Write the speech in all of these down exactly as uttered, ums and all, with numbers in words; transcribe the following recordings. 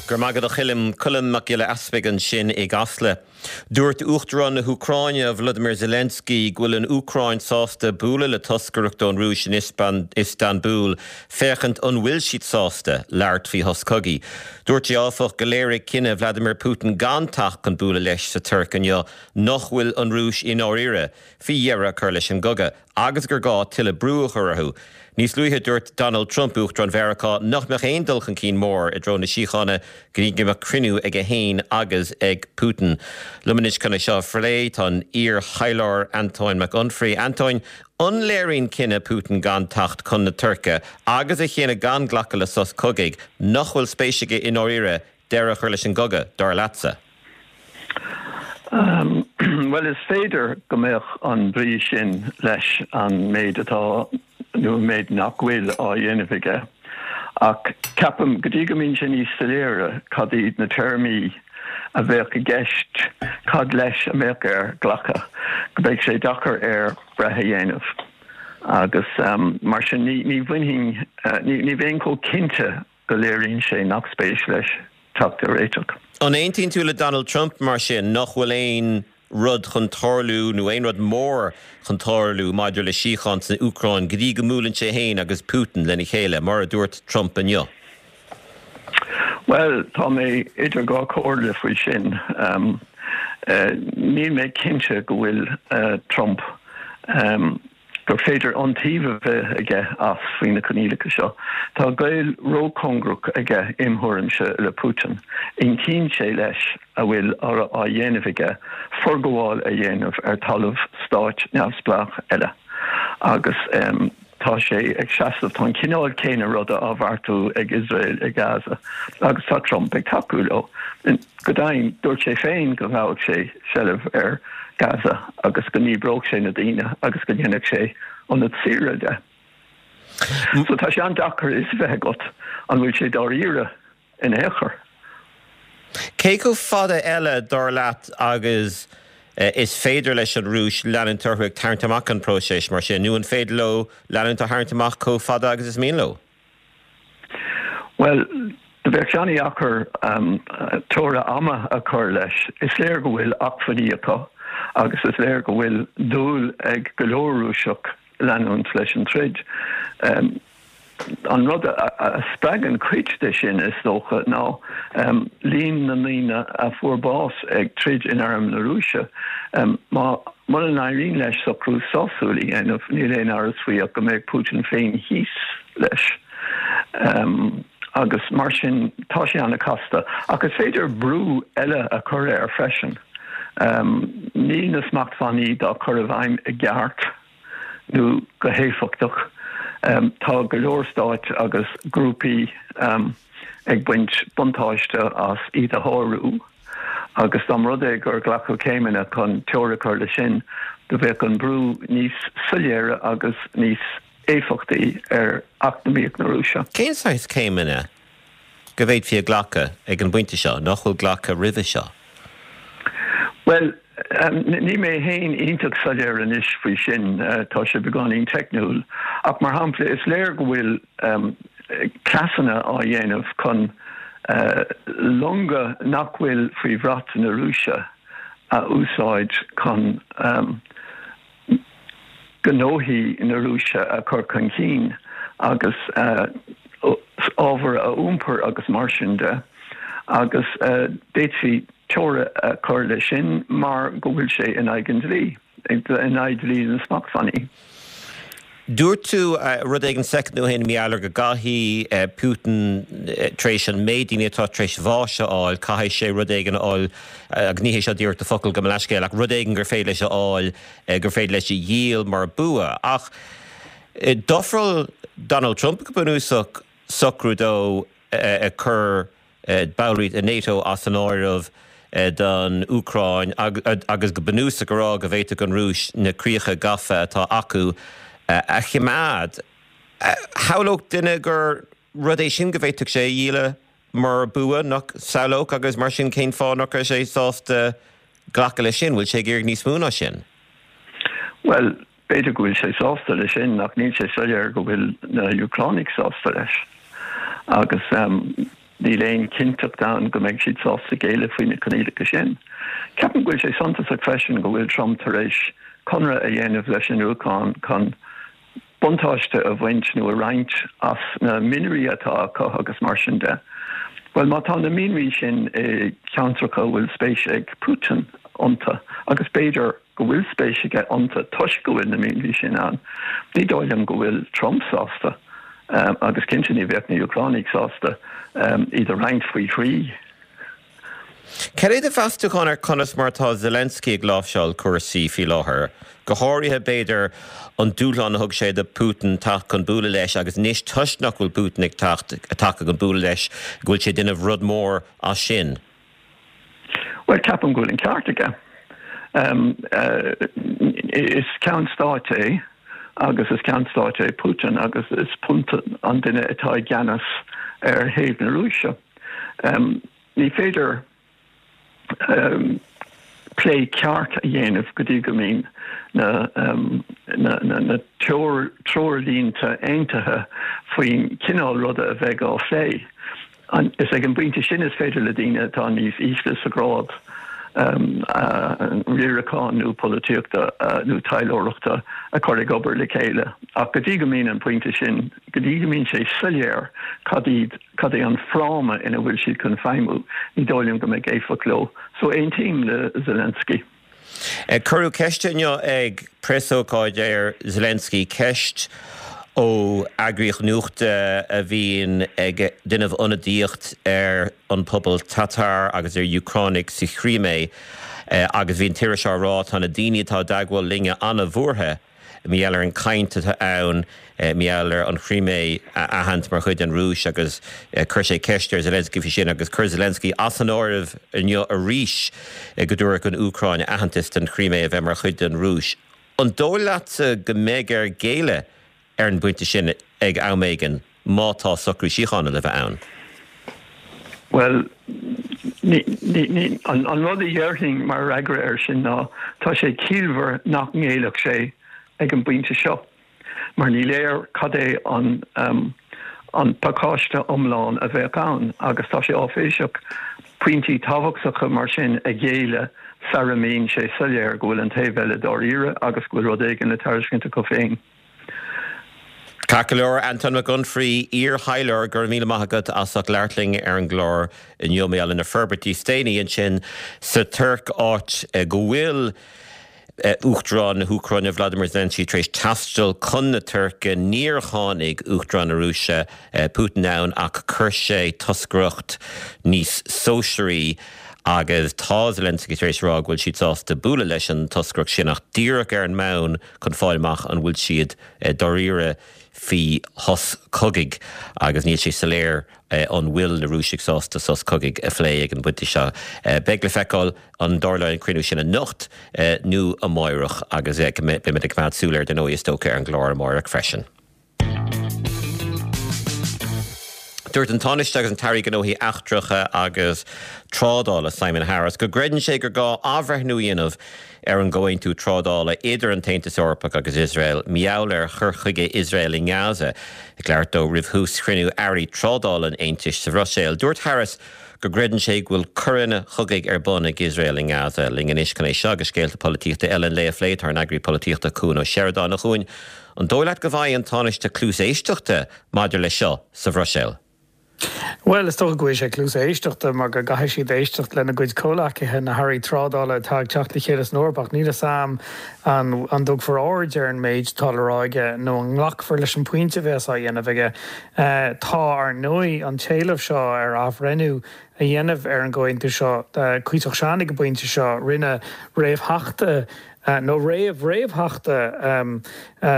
Go raibh maith agat a Choilm Colm Mac Giolla Easpaig ansin i gCasla. Dúirt Uachtarán na hÚcráine Volodymyr Zelensky go bhfuil an Úcráin sásta bualadh le toscaireacht ón Rúis in Istanbul féachaint an bhfuil siad sásta labhairt faoi shos cogaidh. Dúirt sé áfach go léirigh cinneadh Vladimir Putin gan teacht chun bualadh leis sa Tuirc inniu nach bhfuil an Rúis i ndáiríre faoi dheireadh a chur leis an gcogadh agus gur gá tuilleadh brú a chur orthu. Níos luaithe dúirt Donald Trump Uachtarán Mheiriceá nach mbeadh aon dul chun cinn mór i dtreo na síochána go dtí go mbeadh cruinniú aige féin agus ag Putin. Liom anois chun é seo a phlé tá an t-iarthaidhleoir Antóin Mac Unfraidh. Antóin an léiríonn cinneadh Putin gan teacht chun na Tuirce agus a chinneadh gan glacadh le sos cogaidh nach bhfuil spéis aige i ndáiríre deireadh a chur leis an gcogadh dar leatsa. Um, well is féidir go mbeadh an brí sin leis an méid atá nó an méid nach bhfuil á dhéanamh aige. Ach ceapaim go dtí go mbíonn sé níos soiléire cad iad na téarmaí a bheadh i gceist cad leis a mbeadh air glacadh, go mbeidh sé deacair air breith a dhéanamh. Agus um, mar sin ní, ní bhainfinn uh, ní, ní bheinn chomh cinnte go léiríonn sé nach spéis leis teacht ar réiteach. An aontaíonn tú le Donald Trump mar sin nach bhfuil aon rud chun tarlú nó aon rud mór chun tarlú maidir le síocháin san Úcráin go dtí go mbuaileann sé féin agus Putin lena chéile mar a dúirt Trump inniu. Well tá mé idir dhá chomhairle faoi sin. Um, uh, níl mé cinnte go bhfuil uh, Trump um, gur féidir iontaoibh a bheith aige as faoi na coinníollacha seo. Tá gaol róchóngarach aige im thuairimse le Putin. Aontaíonn sé leis a bhfuil á dhéanamh aige forghabháil a dhéanamh ar talamh stáit neamhspleách eile. Agus um, tá sé ag seasamh tá an cineál céanna ruda á bheartú ag Israel i Gaza agus tá Trump ag tacú leo. Go deimhin dúirt sé féin go ngabhfadh sé seilbh ar Gaza agus go ndíbreodh sé na daoine agus go ndéanfadh sé ionad saoire de. So tá sé an-deacair a fhios bheith agat an bhfuil sé dáiríre in aon chor. Cé chomh fada eile dar leat agus is féidir leis an Rúis leanúint orthu ag tarraingt amach an próiseas mar sin, nó an féidir leo leanúint á tharraingt amach chomh fada agus is mian leo? Well, bheadh sé an-deacair um, teora ama a chur leis. Is léir go bhfuil acmhainní acu agus is léir go bhfuil dúil ag go leor Rúiseach leanúint leis an troid. Um, an rud a, a spreagann cuid de sin is dócha ná um, líon na ndaoine a fuair bás ag troid in arm na Rúise. Um, má mura n-éiríonn leis socrú sásúil a dhéanamh níl aon amhras faoi ach go mbeidh Putin féin thíos leis. Um, agus mar sin tá sé an-chasta, ach is féidir brú eile a chur air freisin. Um, níl na smachtbhannaí dá gcur i bhfeidhm i gceart nó go héifeachtach. Um, tá go leor stáit agus grúpaí um, ag baint buntáiste as iad a shárú, agus dá mba rud é gur glacadh céimeanna chun teora a chur leis sin, do bheadh an brú níos soiléire agus níos éifeachtaí ar eacnamaíocht na Rúise. Cén saghas céimeanna go bhféadfaí a ghlacadh ag an bpointe seo nach bhfuil glactha roimhe seo? Well, um, níl mé féin iontach soiléir anois faoi sin uh, tá sé beagáinín teicniúil, ach mar shampla is léir go bhfuil um, cleasanna á dhéanamh chun uh, longa nach bhfuil faoi bhrat na Rúise a úsáid chun um, gnóthaí na Rúise a chur chun cinn agus uh, ábhar a iompar agus mar sin de agus uh, d'fhéadfaí teora a chur leis sin mar go bhfuil sé in aghaidh an dlí in aghaidh dlí na smachtbhannaí. Dúirt tú uh, rud éigin soicind ó shin maidir go gcaithfidh uh, Putin uh, tar éis an méid daoine atá tar éis bháis a fháil, caithfidh sé rud éigin a fháil agus ní hé seo díreach do focail gabh mo leithscéal ach rud éigin gur féidir leis a fháil gur féidir leis a dhíol mar bua. Ach d'ofráil Donald Trump go bunúsach socrú dó ag cur ballraíocht i NATO as an áireamh don Úcráin agus go bunúsach go rá go bhféadfadh an Rúis na críocha gafa atá acu a choimeád. Shamhlódh duine gur rud é sin go bhféadfadh sé a dhíol mar bua nach samhlódh agus mar sin cén fáth nach raibh sé sásta glacadh leis sin, bhfuil sé ag iarraidh níos mó ná sin? Well, b'fhéidir go bhfuil sé sásta leis sin ach níl sé soiléir go bhfuil na Úcránaigh sásta leis. Agus um, Níl aon chinnteacht ann go mbeidh siad sásta géilleadh faoi na coinníollacha sin. Ceapaim go bhfuil sé suntasach freisin go bhfuil Trump tar éis conradh a dhéanamh leis an Úcráin chun buntáiste a bhaint nó a roinnt as na mianraí atá acu agus mar sin de. Bhuel má tá na mianraí sin i gceantracha a bhfuil spéis ag Putin iontu agus b'fhéidir go bhfuil spéis aige iontu toisc go bhfuil na mianraí sin ann, ní dóigh liom go bhfuil Trump sásta. Agus cinnte ní bheadh na hÚcránaigh sásta iad a roinnt faoi thrí. Cad é do mheastachán ar conas mar atá Zelensky ag láimhseáil cúrsaí faoi láthair, go háirithe b'fhéidir an dúshlán a thug sé do Putin teacht chun bualadh leis agus anois toisc nach bhfuil Putin ag teacht chun bualadh leis go bhfuil sé ag déanamh rud mór as sin? Bhuel, ceapaim go bhfuil an ceart aige. Is ceann stáit é agus is ceann stáit é Putin agus is Putin an duine atá i gceannas ar thaobh na Rúise. Ní féidir plé ceart a dhéanamh go dtí go mbíonn na treoirlínte aontaithe faoin cineál ruda a bheidh á phlé. Is ag an bpointe sin is féidir le daoine atá níos ísle sa ghrád riaracháin nó polaitíochta nó taidhleoireachta a chur ag obair le chéile. Ach go dtí go mbíonn an pointe sin, go dtí go mbíonn sé soiléir cad iad, cad é an fráma ina bhfuil siad chun feidhmiú, ní dóigh liom go mbeidh éifeacht leo. So aontaím le Zelensky. Cuireadh ceist inniu ag preasócáid ar Zelensky, ceist ó eagraíocht nuachta a bhíonn ag déanamh ionadaíocht ar an pobal Tatar agus ar Úcránaigh sa Chrimé agus bhí an t-iriseoir á rá tá na daoine atá i dteagmháil linne an-bhuartha mar gheall ar an gcaint atá ann mar gheall ar an Chrimé a aithint mar chuid den Rúis agus chuir sé ceist ar Zelensky faoi sin agus chuir Zelensky as an áireamh inniu arís go dtabharfadh an Úcráin aitheantas don Chrimé a bheith mar chuid den Rúis. An dóigh leatsa go mbeidh air géilleadh ar an bpointe sin ag am éigin má tá socrú síochána le bheith ann? Bhuel, ní, ní, ní, an, an rud a dhéarfainn mar fhreagra air sin ná tá sé ciallmhar nach ngéillfeadh sé ag an bpointe seo, mar ní léir cad é an, um, an pacáiste iomlán a bheadh ann agus tá sé áiféiseach pointí tábhachtacha mar sin a ghéilleadh sara mbíonn sé soiléir go bhfuil an taobh eile dáiríre agus go bhfuil rud éigin le tairiscint acu féin. Ceart go leor, Anton Mac Unfraidh, iar-thaidhleoir, go raibh míle maith agat as ucht labhairt linn ar an gclár inniu mar gheall ar na forbairtí is déanaí ansin sa Tuirc, áit go bhfuil Uachtarán na hÚcráine Vladimir Zelensky tar éis taisteal chun na Tuirce. Níor tháinig Uachtarán na Rúise Putin ann ach chuir sé toscaireacht níos sóisearaí agus tá Zelensky tar éis rá go bhfuil siad sásta bualadh leis an toscaireacht sin ach díreach ar an mbonn chun fáil amach an bhfuil siad dáiríre faoi shos cogaidh agus níl sé soiléir an bhfuil na Rúisigh sásta sos cogaidh a phlé ag an bpointe seo. Beidh le feiceáil an dtarlóidh an cruinniú sin anocht nó amárach agus beimid ag coimeád súil air dar ndóigh is dócha ar an gclár amárach freisin. Dúirt an Tánaiste agus an tAire Gnóthaí Eachtracha agus Trádála Simon Harris go gcreideann sé gur gá athbhreithniú a dhéanamh ar an gcomhaontú trádála idir an tAontas Eorpach agus Iosrael mar gheall ar chur chuige Iosrael i nGaza. Ag labhairt dó roimh thús chruinniú airí trádála an Aontais sa Bhruiséil, dúirt Harris go gcreideann sé go bhfuil coireanna cogaidh ar bun ag Iosrael i nGaza. Linn anois chun é seo agus scéalta polaitíochta eile an lae a phlé tá ár n-eagraí polaitíochta Cuan Ó Seireadáin. A Chuain, an dóigh leat go bhfaighidh an Tánaiste cluas éisteachta maidir leis seo sa Bhruiséil? Bhuel, is dócha go bhfaighidh sé cluas éisteachta mar go gcaithfidh siad éisteacht lena gcuid comhleacaithe, na hairí trádála atá ag teacht le chéile san Eoraip ach níl a fhios a'm an an dtabharfar aird ar an méid atá le rá aige nó an nglacfar leis an bpointe a bheas á dhéanamh aige. Tá, ar ndóigh, an t-éileamh seo ar athbhreithniú a dhéanamh ar an gcomhaontú seo cuíosach sean ag an bpointe seo. Rinne réamhtheachta nó réamh-réamhtheachta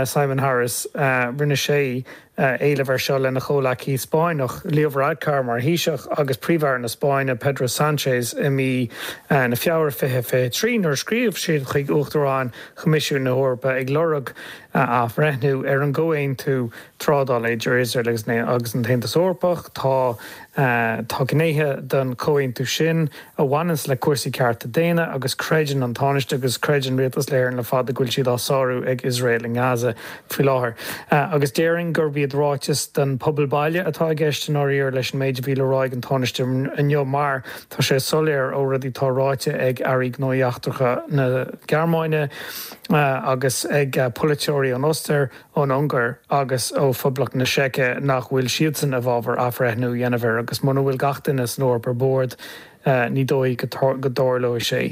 Simon Harris, rinne sé éileamh air seo lena chomhleacaí Spáinneach, Leo Varadkar mar Thaoiseach agus Príomh-Aire na Spáinne, Pedro Sánchez i mí na Feabhra fiche fiche trí nuair a scríobh siad chuig Uachtarán Choimisiún na hEorpa ag lorg athbhreithniú ar an gcomhaontú trádála idir Iosrael agus an tAontas Eorpach. Tá tá gnéithe den chomhaontú sin a bhaineanns le cúrsaí cearta daonna agus creideann an Tánaiste agus creideann Rialtas na hÉireann le fada go bhfuil siad á sárú ag Iosrael i nGaza faoi láthair. Agus déarfainn gurb iad chéad ráiteas don pobal baile atá i gceist i ndáiríre leis an méid a bhí le rá ag an Tánaiste inniu mar tá sé soiléir ó rudaí atá ráite ag Airí Gnóthaí Eachtracha na Gearmáine agus ag polaiteoirí ón Ostair, ón Ungáir agus ó Phoblacht na Seice nach bhfuil siadsan i bhfabhar athbhreithniú a dhéanamh air agus muna bhfuil gach duine san Eoraip ar bord ní dóigh go dtarlóidh sé.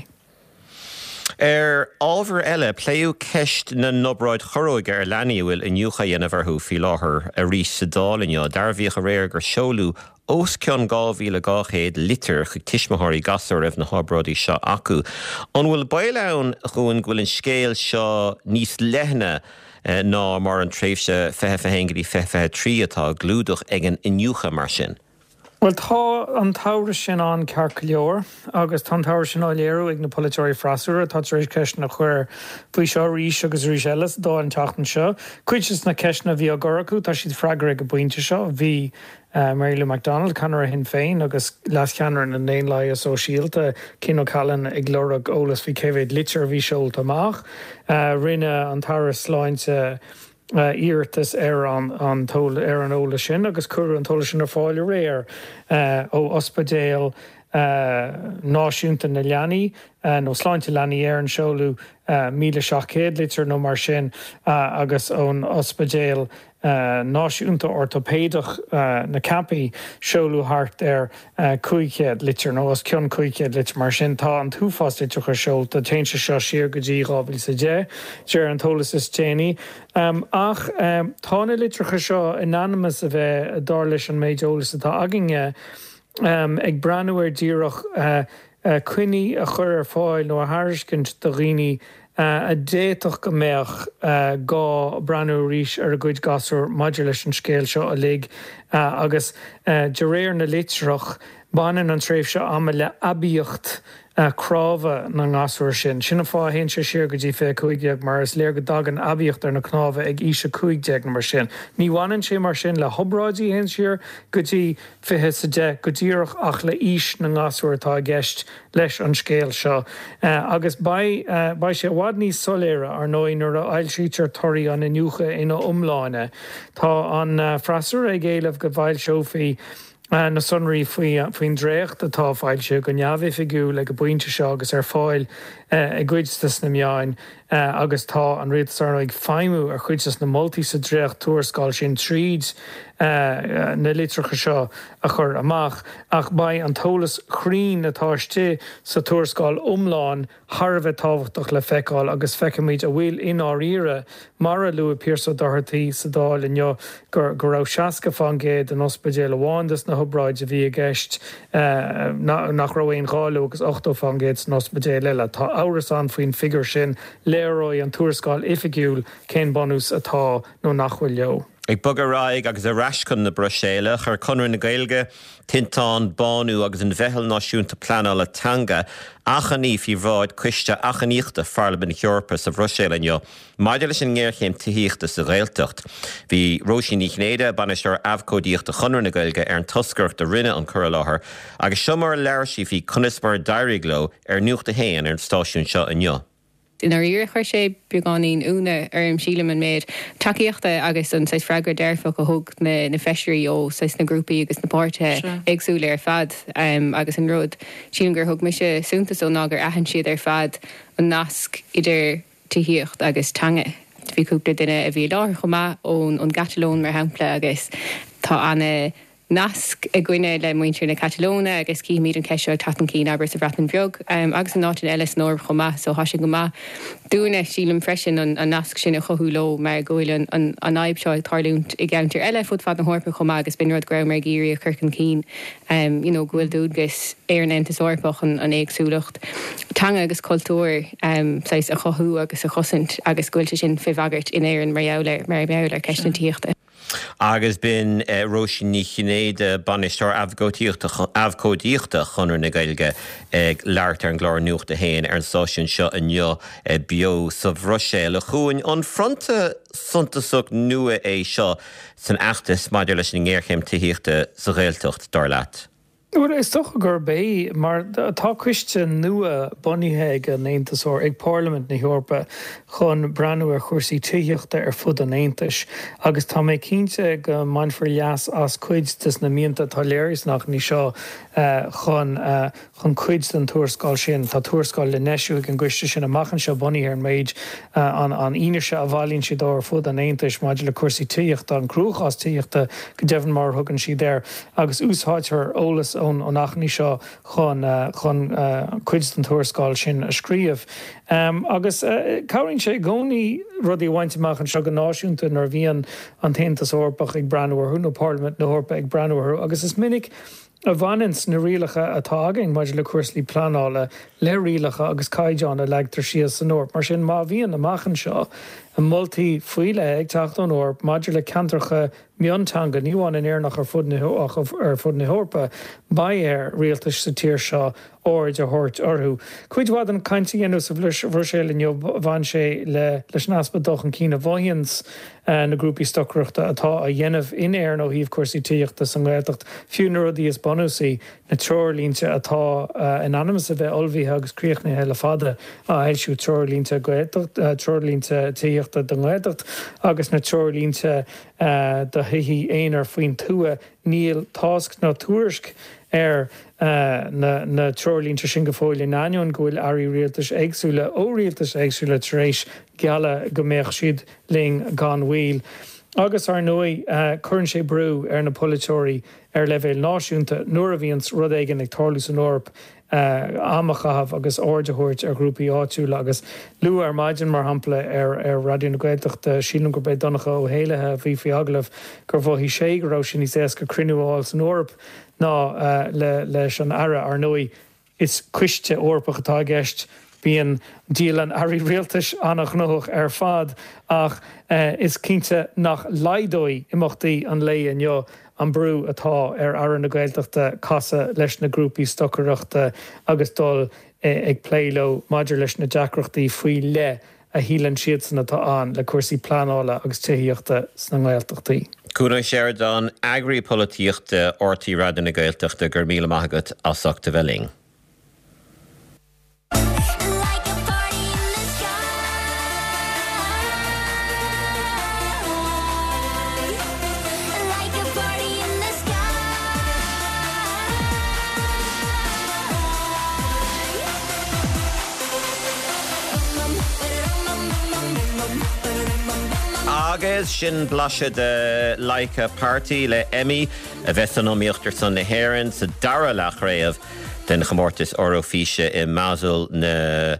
Ar ábhar eile, pléadh ceist na n-obráid chorróige ar leanaí a bhfuil iniúchadh á dhéanamh orthu faoi láthair arís sa Dáil inniu. Dearbhaíodh aréir gur seoladh os cionn dhá mhíle dhá chéad litir chuig tuismitheoirí gasúr a raibh na hobráidí seo acu. An bhfuil baol ann, a Chuain, go bhfuil an scéal seo níos leithne ná mar an tréimhse fiche fiche haon go dtí fiche fiche trí atá á clúdach ag an iniúchadh mar sin? Bhuel, tá an t-amhras sin ann ceart go leor agus tá an t-amhras sin á léiriú ag na polaiteoirí freasúra atá tar éis ceisteanna a chur faoi seo arís agus arís eile sa Dáil an tseachtain seo. Cuid de na ceisteanna a bhí á gcur acu, tá siad freagartha ag an bpointe seo. Bhí Mary Lou McDonald, ceannaire Shinn Féin agus leascheannaire na nDaonlathaithe Sóisialta, Cian O'Callaghan ag lorg eolas faoi cé mhéad litir a bhí seolta amach. Rinne an tAire Sláinte, iarratas ar an ar an eolas sin agus cuireadh an t-eolas sin ar fáil aréir ó Ospidéal Náisiúnta na Leanaí nó Sláinte Leanaí Éireann seoladh míle seacht gcéad litir nó mar sin agus ón Ospidéal Náisiúnta Ortóipéideach na Ceapaí seoladh thart ar cúig chéad litir nó os cionn cúig chéad litir. Mar sin tá an t-uafás litreacha seolta. Téann sé seo siar go dtí dhá mhíle is a deich, de réir an t-eolas is déanaí. Ach tá na litreacha seo in ainm is a bheith, dar leis an méid eolais atá againne, ag breathnú ar díreach coinní a chur ar fáil nó a thairiscint do dhaoine a d'fhéadfadh go mbeadh gá breathnú arís ar a gcuid gasúr maidir leis an scéal seo uilig agus de réir na litreach baineann an tréimhse ama le haibíocht cnámha na ngasúr sin. Sin an fáth a théann sé siar go dtí fiche cúig déag mar is léir go dtagann aibíocht ar na cnámha ag aois a cúig déag nó mar sin. Ní bhaineann sé mar sin le hobráidí a théann siar go dtí fiche is a deich go díreach ach le haois na ngasúr atá i gceist leis an scéal seo. Agus beidh beidh sé i bhfad níos soiléire, ar ndóigh, nuair a fhoilsítear torthaí an iniúchadh ina iomláine. Tá an freasúra ag éileamh go bhfoilseofaí na sonraí faoin dréacht atá foilsithe go neamhoifigiúil ag an bpointe seo agus ar fáil i gcuid de na meáin agus tá an rialtas ar ndóigh ag feidhmiú ar chuid de na moltaí sa dréacht-tuarascáil sin tríd na litreacha seo a chur amach. Ach beidh an t-eolas cruinn atá istigh sa tuarascáil iomlán thar a bheith tábhachtach le feiceáil agus feicfimid an bhfuil i ndáiríre, mar a luaigh Pearse Ó Dochartaigh sa Dáil inniu, go raibh seasca fán gcéad in ospidéal amháin des na hobráidí a bhí i gceist nach raibh aon ghá leo agus ochtó fán gcéad san ospidéal eile. Tá amhras ann faoin bhfigiúr sin. Léireoidh an tuarascáil oifigiúil cén bunús atá nó nach bhfuil leo. Ag bogadh ar aghaidh agus ar ais chun na Bruiséile, chuir Conradh na Gaeilge, Tinteán, Bánú agus an Mheitheal Náisiúnta Pleanála Teanga achainí faoi bhráid Coiste Achainíochta Pharlaimint na hEorpa sa Bhruiséil inniu maidir leis an ngéarchéim tithíochta sa Ghaeltacht. Bhí Róisín Ní Chinnéide, Bainisteoir Abhcóidíochta Chonradh na Gaeilge ar an toscaireacht a rinne an cur i láthair agus seo mar a labhair sí faoi conas mar a d'éirigh leo ar Nuacht a hAon ar an stáisiún seo inniu. I ndáiríre chuir sé beagáinín ionadh orm sílim an méid tacaíochta agus an saghas freagra dearfach a thug na na feisirí ó saghas na grúpaí agus na páirtithe éagsúla ar fad agus an rud sílim gur thug mise suntas dó ná gur aithin siad ar fad an nasc idir tithíocht agus teanga. Bhí cúpla duine a bhí i láthair chomh maith ón ón gCatalóin mar shampla agus tá ana nasc againne le muintir na Catalóine agus címid an cheist seo ag teacht chun cinn abair sa Bhreatain Bheag agus in áiteanna eile san Eoraip chomh maith so tá sé go maith dúinne sílim freisin an nasc sin a chothú leo mar go bhfuil an fhadhb seo ag tarlúint i gceantair eile fud fad na hEorpa chomh maith agus b'in rud go rabhamar ag iarraidh a chur chun cinn you know go bhfuil dualgas ar an Aontas Eorpach an éagsúlacht teanga agus cultúir saghas a chothú agus a chosaint agus go bhfuil sé sin fé bhagairt in Éirinn mar gheall ar mar gheall ar ceist na tithíochta. Agus b'in Róisín Ní Chinnéide, Bainisteoir Abhcóidíochta Chonradh na Gaeilge ag labhairt ar an gclár Nuacht a hAon ar an stáisiún seo inniu beo sa Bhruiséil. A Chuain, an fronta suntasach nua é seo san fheachtas maidir leis an ngéarchéim tithíochta sa Ghaeltacht, dar leat? Bhuel, is dócha gurb é, mar tá coiste nua bunaithe ag an Aontas Eorpach, ag Parlaimint na hEorpa chun breathnú ar chúrsaí tithíochta ar fud an Aontais agus tá mé cinnte go mbainfear leas as cuid de na mianta atá léirithe san achainí seo chun chun cuid den tuarascáil sin. Tá tuarascáil le n-eisiú ag an gcoiste sin amach anseo bunaithe ar an méid an an fhianaise a bhailíonn siad ar fud an Aontais maidir le cúrsaí tithíochta, an cruachás tithíochta go deimhin mar a thugann siad air, agus úsáidfear eolas ón ón achainí seo chun chun cuid den tuarascáil sin a scríobh. Agus cabhraíonn sé i gcónaí rudaí a bhaint amach anseo go náisiúnta nuair a bhíonn an tAontas Eorpach ag breathnú orthu nó Parlaimint na hEorpa ag breathnú orthu agus is minic a bhaineanns na rialacha atá againn maidir le cúrsaí pleanála le rialacha agus caighdeáin a leagtar síos san Eoraip. Mar sin, má bhíonn amach anseo moltaí faoi leith ag teacht ón Eoraip maidir le ceantracha mionteanga, ní amháin in Éirinn ach ar fud na ar fud na hEorpa, beidh ar rialtais sa tír seo aird a thabhairt orthu. Cuid mhaith den chaint a dhéanadh sa Bhruiséil inniu, bhain sé le leis an easpa dul chun cinn a mhothaíonns na grúpaí stocaireachta atá á dhéanamh in Éirinn ó thaobh cúrsaí tithíochta sa nGaeltacht, fiú na rudaí is bunúsaí, na treoirlínte atá in ainm is a bheith ullmhaithe agus críochnaithe le fada a fhoilsiú, treoirlínte Gaeltacht, treoirlínte tithíochta don nGaeltacht agus na treoirlínte do thithe aonair faoin tuath. Níl tásc ná tuairisc ar na treoirlínte sin go fóill in ainneoin go bhfuil airí rialtais éagsúla ó rialtais éagsúla tar éis gealladh go mbeadh siad linn gan mhoill. Agus, ar ndóigh, cuireann sé brú ar na polaiteoirí ar leibhéal náisiúnta nuair a bhíonns rud éigin ag tarlú san Eoraip am a chaitheamh agus aird a thabhairt ar ghrúpaí áitiúla agus luadh ar maidin, mar shampla, ar Raidió na Gaeltachta, sílim gurb é Donncha Ó hÉallaithe a bhí faoi agallamh, gur mhothaigh sé go raibh sé níos éasca cruinniú a fháil san Eoraip ná leis an Aire. Ar ndóigh, is coiste Eorpach atá i gceist, bíonn dialann airí rialtais an-ghnóthach ar fad ach is cinnte nach laghdóidh imeachtaí an lae inniu an brú atá ar Aire na Gaeltachta casadh leis na grúpaí stocaireachta agus dul ag plé leo maidir leis na deacrachtaí faoi leith a shíleann siadsan atá ann le cúrsaí pleanála agus tithíochta sna nGaeltachtaí. Cuan Ó Seireadáin, Eagraí Polaitíochta RTÉ Raidió na Gaeltachta, go raibh míle maith agat as ucht a bheith linn. Agus sin blaiseadh de Like a Party le Emmy a bheas san iomaíocht ar son na hÉireann sa dara leathchraobh den chomórtas Eoraifíse i mBasel na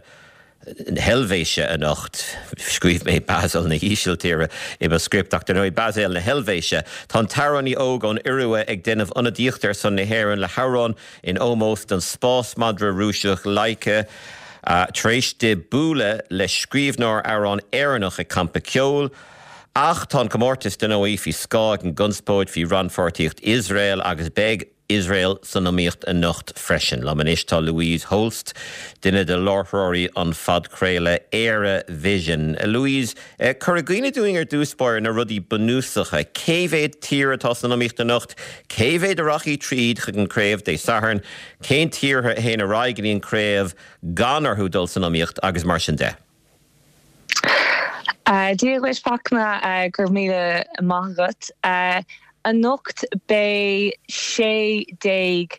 hEilvéise anocht. Scríobh mé Basel na hÍsiltíre i mo script ach dar ndóigh Basel na hEilvéise. Tá an t-amhránaí óg ón Iorua ag déanamh ionadaíochta ar son na hÉireann le hamhrán in ómós don spásmadra Rúiseach Laika tar éis di bualadh le scríbhneoir amhrán Éireannach ag campa ceoil. Ach tá an comórtas dar ndóigh faoi scáth ag an gconspóid faoi rannpháirtíocht Iosrael agus beidh Iosrael san iomaíocht anocht freisin. Liom anois tá Louise Holst, duine de láithreoirí an phodchraoladh Éire Vision. Louise, cuir i gcuimhne dúinn ar dtús báire na rudaí bunúsacha. Cé mhéad tír atá san iomaíocht anocht? Cé mhéad a rachaidh tríd chuig an craobh Dé Sathairn? Cén tíortha a théann ar aghaidh go dtí an craobh gan orthu dul san iomaíocht agus mar sin de? Dia dhuit Fachtna, go raibh míle maith agat. Anocht beidh sé déag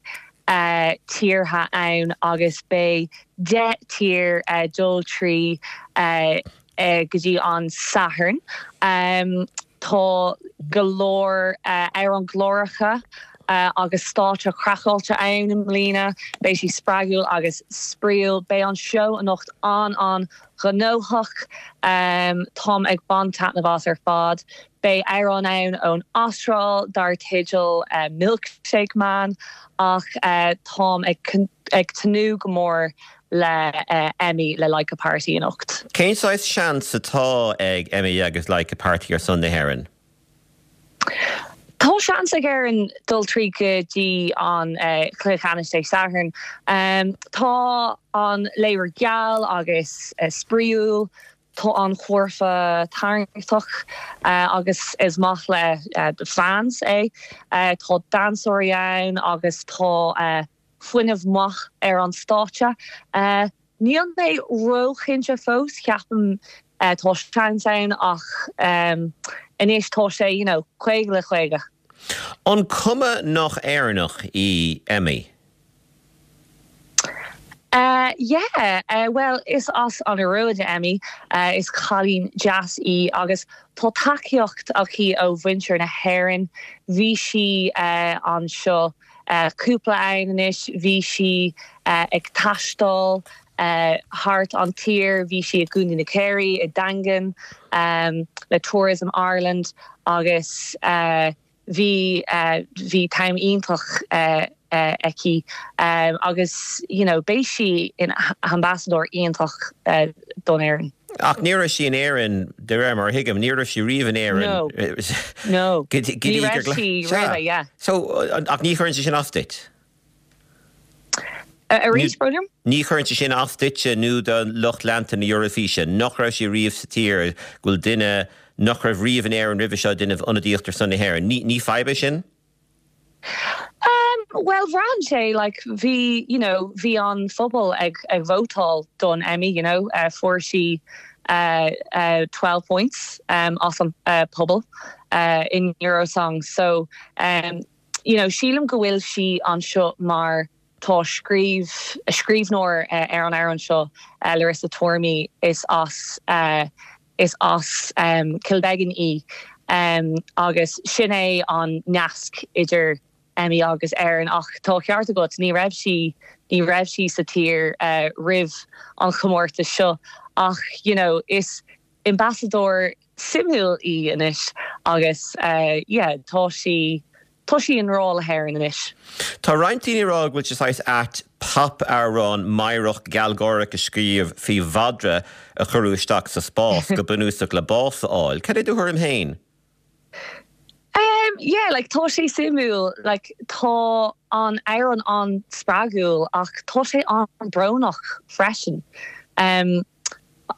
tíortha ann agus beidh deich tír dul trí go dtí an Satharn. Tá go leor amhráin glóracha agus stáitse craiceáilte ann i mbliana. Beidh sé spreagúil agus spraíúil. Beidh an seó anocht an-an-ghnóthach. Táim ag baint taitneamh as ar fad. Beidh amhrán ann ón Astráil dar teideal Milkshake Man ach táim ag tnúth go mór le Emmy le Like a Party anocht. Cén saghas seans atá ag Emmy agus Like a Party ar son na hÉireann? Tá seans ag Éirinn dul trí go dtí an cluiche ceannais Dé Sathairn. Tá an léiriú geal agus spraíúil. Tá an curfá tarraingteach uh, agus is maith le uh, the fans é. Uh, tá damhsóirí ann agus tá uh, fuinneamh maith ar an stáitse. Uh, Níl mé róchinnte fós ceapaim uh, tá seans ann ach um, anois tá sé you know, caoga le caoga. An cuma nach Éireannach í Emmy? Uh, yeah, uh, well is as an Iorua Emmy uh, is cailín deas í agus tá tacaíocht aici ó mhuintir na hÉireann bhí sí uh, anseo uh, cúpla am anois bhí sí uh, ag taisteal uh, thart an tír bhí sí i gContae na Ciarraí i Daingean um, le Tourism Ireland agus uh, bhí uh, bhí time iontach uh, uh, aici um, agus you know, beidh sí ina hambasadóir iontach uh, don Éirinn. Ach ní raibh sí in Éirinn de réir mar thuigim ní raibh sí riamh in Éirinn. No. No. Ní raibh sí roimhe, yeah. So ach ní chuireann sé sin as duit? Uh, arís brother? Ní chuireann sé sin as duitse nó do lucht leanta na Eurofíse, nach raibh sí riamh sa tír go bhfuil duine nach raibh riamh in Éirinn roimhe seo ag déanamh ionadaíocht ar son na hÉireann. Ní, ní fadhb é sin? Um, well bhraith sé like bhí you know bhí an phobal ag ag vótáil don Emmy you know uh, fuair sí uh, uh, twelve points um, as an uh, pobal uh, in Eurosong so um, you know sílim go bhfuil sí anseo mar tá scríobh a scríbhneoir uh, ar an amhrán seo uh, Larissa Tormey is as uh, is as um, Kilbeggan í um, agus sin é an nasc idir Emmy agus Éirinn ach tá ceart agat ní raibh sí ní raibh sí sa tír uh, roimh an chomórtas seo ach you know, is ambasadóir suimiúil í anois agus uh, yeah, tá sí tá sí i ngrá le hÉirinn anois. Tá roinnt daoine ag rá go bhfuil sé saghas ait pop-amhrán meidhreach gealgháireach a scríobh faoi mhadra a cuireadh isteach sa spás go bunúsach le bás a fháil. Cad é do thuairim féin? Um, yeah, like tá sé suimiúil like tá an amhrán an-spreagúil ach tá sé an-bhrónach freisin. Um,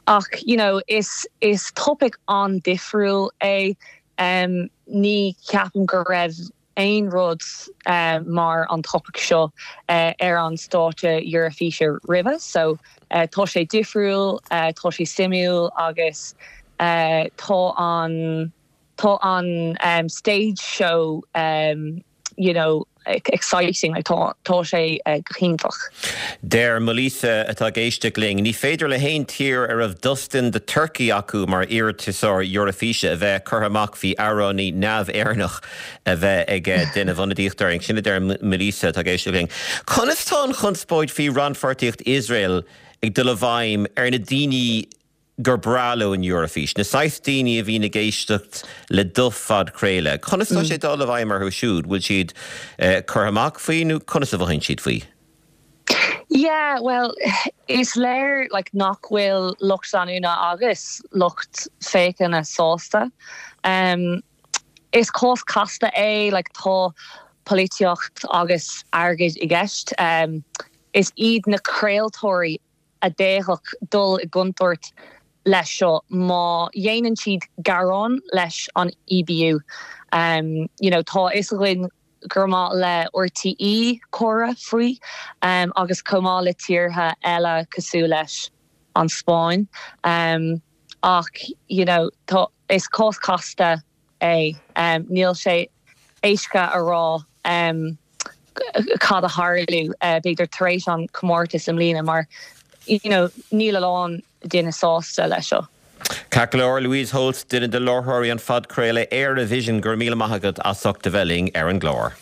ach you know, is is topic an-difriúil é um, ní ceapaim go raibh aon rud uh, mar an topic seo uh, ar an stáitse Eurofíse roimhe, so uh, tá sé difriúil, uh, tá sé suimiúil agus uh, tá an tá an um, stage show um, you know, exciting like, tá tá sé uh, iontach. Deir Melissa atá ag éisteacht linn, ní féidir le haon tír a raibh Dustin the Turkey acu mar iarratasóir Eurofíse a bheith curtha amach faoi amhránaí neamh-Éireannach a bheith ag déanamh ionadaíocht orainn sin a deir Melissa atá ag éisteacht linn. Conas tá an chonspóid faoi rannpháirtíocht Iosrael ag dul i bhfeidhm ar na daoine gur breá leo an Eurofís. Na saghas daoine a bhíonn ag éisteacht le do phodchraoladh. Conas tá sé dul i bhfeidhm orthu siúd, bhfuil siad eh, curtha amach faoi nó conas a mhothaíonn siad faoi? Yeah, well, is léir like, nach bhfuil lucht leanúna agus lucht féachana sásta. Um, is cás casta é like, tá polaitíocht agus airgead i gceist. Um, is iad na craoltóirí a d'fhéadfadh dul i gcontúirt leis seo má dhéanann siad gearán leis an E B U. Um, you know, tá a fhios againn gur maith le R T E comhrá faoi um, agus chomh maith le tíortha eile cosúil leis an Spáinn. Um, ach you know, tá is cás casta é um, níl sé éasca a rá um, cad a tharlóidh uh, b'fhéidir tar éis an comórtas i mbliana mar you know, níl a lán duine sásta leis seo. Ceart go leor Louise Holtz duine de láithreoirí an phodchraoladh Éirevision go raibh míle maith agat as ucht a bheith linn ar an gclár.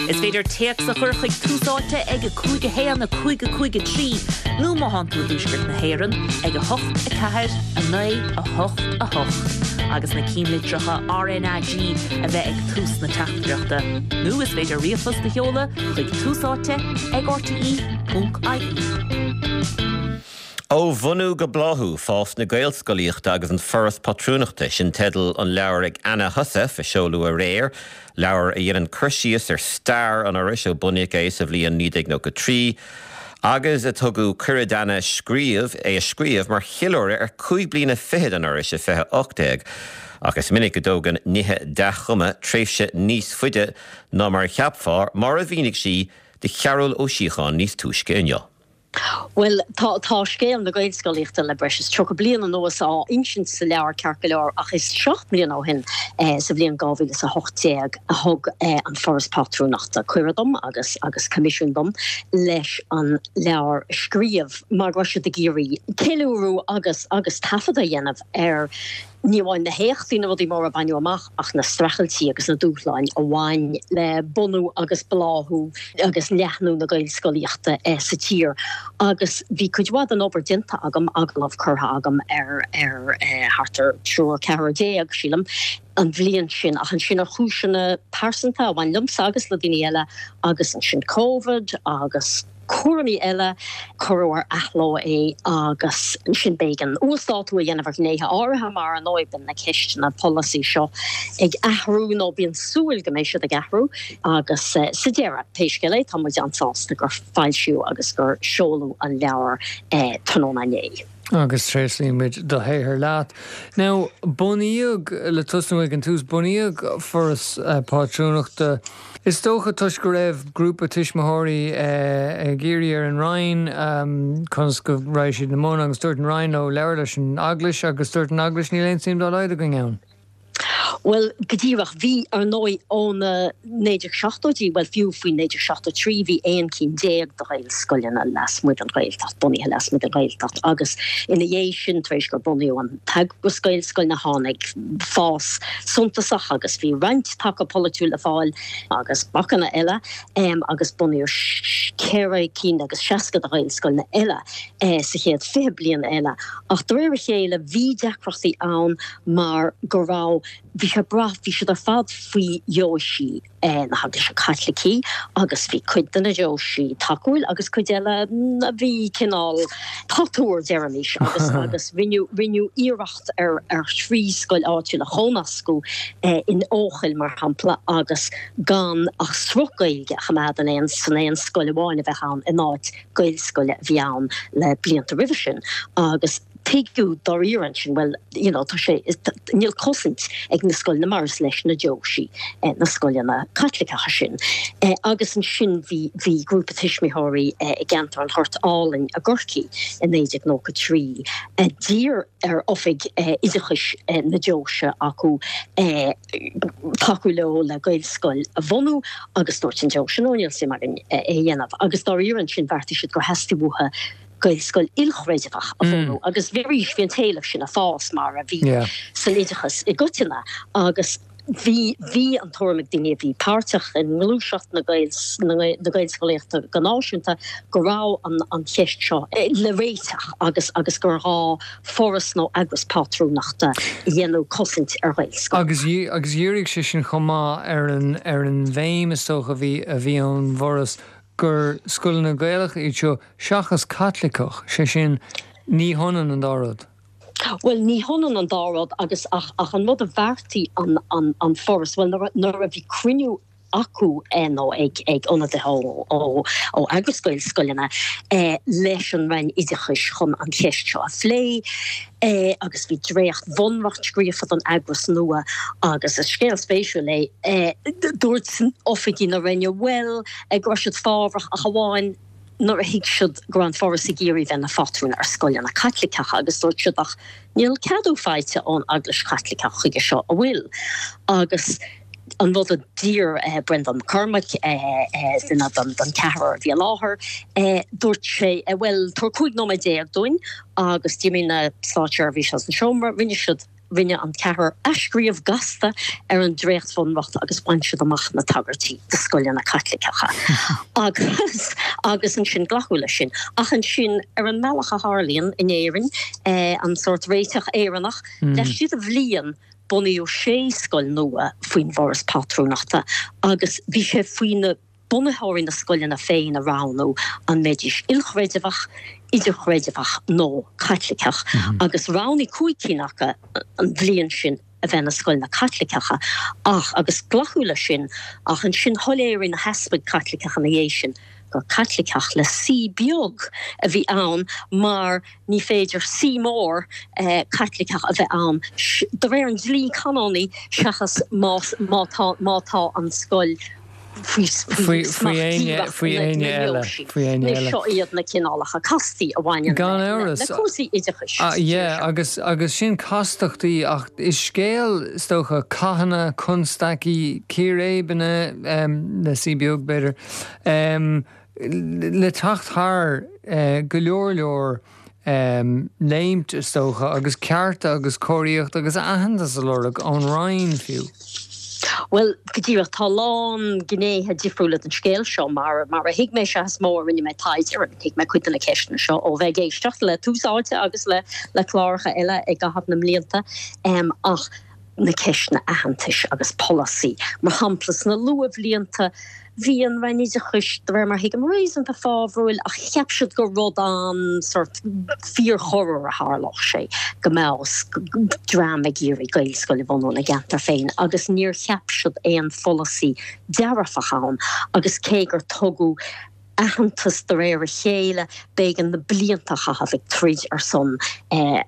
Is féidir téacs a chur chuig Tús Áite ag a cúig a haon a cúig a cúig a trí nó má tá tú i dtuaisceart na hÉireann ag a hocht a ceathair a naoi a hocht a hocht. Agus na ceannlitreacha R N A G a bheith ag tús na teachtaireachta. Nó is féidir ríomhphost a sheoladh chuig tús áite ag R T E ponc I E. Ó bhunú go bláthú fás na Gaelscolaíochta agus an Foras Pátrúnachta sin teideal an leabhair ag Anna Heussaff a seoladh aréir, leabhar a dhéanann cur síos ar stair an Fhorais ó bunaíodh é sa bhliain naoi déag nócha trí, Agus a tugadh cuireadh d'Anna scríobh é a scríobh mar cheiliúradh ar cúig bliana fichead an Fhorais i fiche ocht déag. Ach is minic go dtógann nithe dea-chumtha tréimhse níos faide ná mar a cheapfá, mar a mhínigh sí do Chearbhall Ó Síocháin níos túisce inniu. Bhuel, tá tá scéal na Gaelscolaíochta le breis is tríocha bliain anuas á insint sa leabhar ceart go leor ach is seacht mbliana ó shin sa bhliain dhá mhíle is a hocht déag a thug an Foras Pátrúnachta cuireadh dom agus agus coimisiún dom leis an leabhar a scríobh mar go raibh siad ag iarraidh ceiliúradh agus agus taifead a dhéanamh ar ní amháin na héachtaí, na rudaí móra a baineadh amach ach na streachailtí agus na dúshláin a bhain le bunú agus bláthú agus leathnú na Gaelscolaíochta sa tír. Agus bhí cuid mhaith den obair déanta agam, agallamh curtha agam ar ar thart ar triúr, ceathrar déag, sílim, an bhliain sin ach ansin ar chúiseanna pearsanta a bhain liomsa agus le daoine eile agus ansin Covid agus cúraimí eile, cuireadh ar athló é agus ansin b'éigean uasdátú a dhéanamh ar ghnéithe áirithe mar ar ndóigh bíonn na ceisteanna polasaí seo ag athrú nó bíonn súil go mbeidh siad ag athrú agus sa deireadh, pé scéal é, tá muid an-sásta gur foilsíodh agus gur seoladh an leabhar tráthnóna inné. Agus tréaslaímid do shaothar leat. Now, bunaíodh, le tosnú ag an tús, bunaíodh Foras Pátrúnachta, is dócha toisc go raibh grúpa tuismitheoirí ag iarraidh ar an Roinn conas go raibh siad ina mbun agus dúirt an Roinn leo labhair leis an Eaglais agus dúirt an Eaglais níl aon suim dá laghad againn ann. Bhuel, go díreach. Bhí, ar ndóigh, ó na naoi déag seachtóidí, bhuel, fiú faoi naoi déag seachtó trí, bhí aon cinn déag de Ghaelscoileanna lasmuigh den Ghaeltacht, bunaithe lasmuigh den Ghaeltacht agus ina dhiaidh sin, tar éis gur bunaíodh an t-eagras Gaelscoileanna, tháinig fás suntasach agus bhí roinnt taca polaitiúil le fáil agus bacanna eile agus bunaíodh ceithre cinn agus seasca de Ghaelscoileanna eile sa chéad fiche bliain eile. Ach de réir a chéile, bhí deacrachtaí ann mar go raibh, bhí sé ag brath, bhí siad ar fad faoi dheoisí na hEaglaise Caitlicí agus bhí cuid de na deoisí tacúil agus cuid eile a bhí cineál patuar, deirimis, agus agus rinneadh, rinneadh iarracht ar ar thrí scoil áitiúil a chónascadh in Eochaill, mar shampla, agus gan ach sruth Gaeilge a choimeád in aon, san aon scoil amháin a bheadh ann in áit Gaelscoile a bhí ann le blianta roimhe sin agus tuigeadh dáiríre ansin, bhuel, you know, tá sé, níl cosaint ag na scoileanna mar is leis na deoisí na scoileanna Caitliceacha sin. Agus ansin bhí, bhí grúpa tuismitheoirí i gceantar an Ghoirt Álainn i gCorcaigh i naoi déag nócha trí a d'iarr ar oifig oideachais na deoise acu tacú leo le Gaelscoil a bhunú agus dúirt an deoise no, níl suim againn é a dhéanamh. Agus dáiríre ansin bheartaigh siad gur theastaigh uathu Gaelscoil ilchreidmheach a bhunú agus bhí arís, bhí an t-éileamh sin ag fás mar a bhí san oideachas i gcoitinne agus bhí, bhí an tuairim ag daoine a bhí páirteach i ngluaiseacht na na Gaelscolaíochta go náisiúnta go raibh an an cheist seo le réiteach agus agus gur ghá foras nó eagras pátrúnachta a dhéanfadh cosaint ar Ghaelscoileanna. Agus agus dhírigh sé sin chomh maith ar an ar an bhéim is dócha a bhí a bhí ón bhForas gur scoileanna Gaelacha iad seo seachas Caitliceach, sé sin, ní hionann an dá rud. Bhuel, ní hionann an dá rud agus ach ach an rud a bheartaigh an an an Foras, bhuel nuair a nuair a bhí cruinniú acu nó ag ag ionadaithe ó ó ó eagras Gaelscoileanna leis an Roinn Oideachais chun an cheist seo a phlé agus bhí dréacht-bhunreacht scríofa don eagras nua agus is scéal spéisiúil é dúirt oifigigh na Roinne bhuel go raibh siad fábhrach ach amháin nuair a thuig siad go raibh an Foras ag iarraidh bheith ina phátrún ar scoileanna Caitliceacha agus dúirt siad ach níl ceadú faighte ón Eaglais Chaitliceach chuige seo, an bhfuil? Agus an rud a d'iarr Breandán Mac Cormaic, duine den cheathrar a bhí i láthair, dúirt sé, bhuel, tabhair cúig nóiméad déag dúinn agus d'imigh na státseirbhísigh as an seomra, rinne siad Rinne an ceathrar athscríobh gasta ar an dréachtbhunreacht agus bhain siad amach na tagairtí do scoileanna Caitliceacha agus agus ansin glacadh leis sin. Ach ansin, ar an mbealach a tharlaíonn in Éirinn, an sórt réiteach Éireannach, laistigh de bhliain bunaíodh sé scoil nua faoin bhForas Pátrúnachta agus bhí sé faoi na bunaitheoirí na scoileanna féin a roghnú an mbeidís ilchreidmheach, idirchreidmheach nó Caitliceach, agus roghnaigh cúig cinn acu an bhliain sin a bheith ina scoileanna Caitliceacha ach, agus glacadh leis sin, ach ansin shoiléirigh na heaspaig Chaitliceacha ina dhiaidh sin gur Caitliceach le C beag a bhí ann mar ní féidir C mór Caitliceach a bheith ann de réir an dlí canónaí seachas más má tá má tá an scoil faoi faoi éinne eile faoi éinne eile. Seo iad na cineálacha castaí a bhaineann Gan amhras. le cúrsaí oideachais. Ah, yeah, agus agus sin castachtaí ach is scéal is dócha cathanna, constaicí, círéibeanna um, le C beag b'fhéidir um, le teacht thar uh, go leor leor um, léimt is dócha agus cearta agus cóiríocht agus aitheantas a lorg ón Roinn fiú. Well go díreach tá lán gnéithe difriúla den scéal seo mar mar a thuig mé sé is mó a rinne mé taighde ar thuig mé cuid de na ceisteanna seo ó bheith ag éisteacht le Tús Áite agus le le cláracha eile i gcaitheamh na mblianta um, ach na ceisteanna aitheantais agus polasaí. Mar shampla sna luathbhlianta bhí an Roinn Oideachais de réir mar thuigim réasúnta fábhrúil ach cheap siad gur rud an sort fíorchorruair a tharlódh sé go mbeadh dream ag iarraidh Gaelscoil a bhunú ina gceantar féin agus níor cheap siad aon pholasaí dearfach ann agus cé gur tugadh aitheantas de réir a chéile b'éigean na blianta a chaitheamh ag troid ar son eh,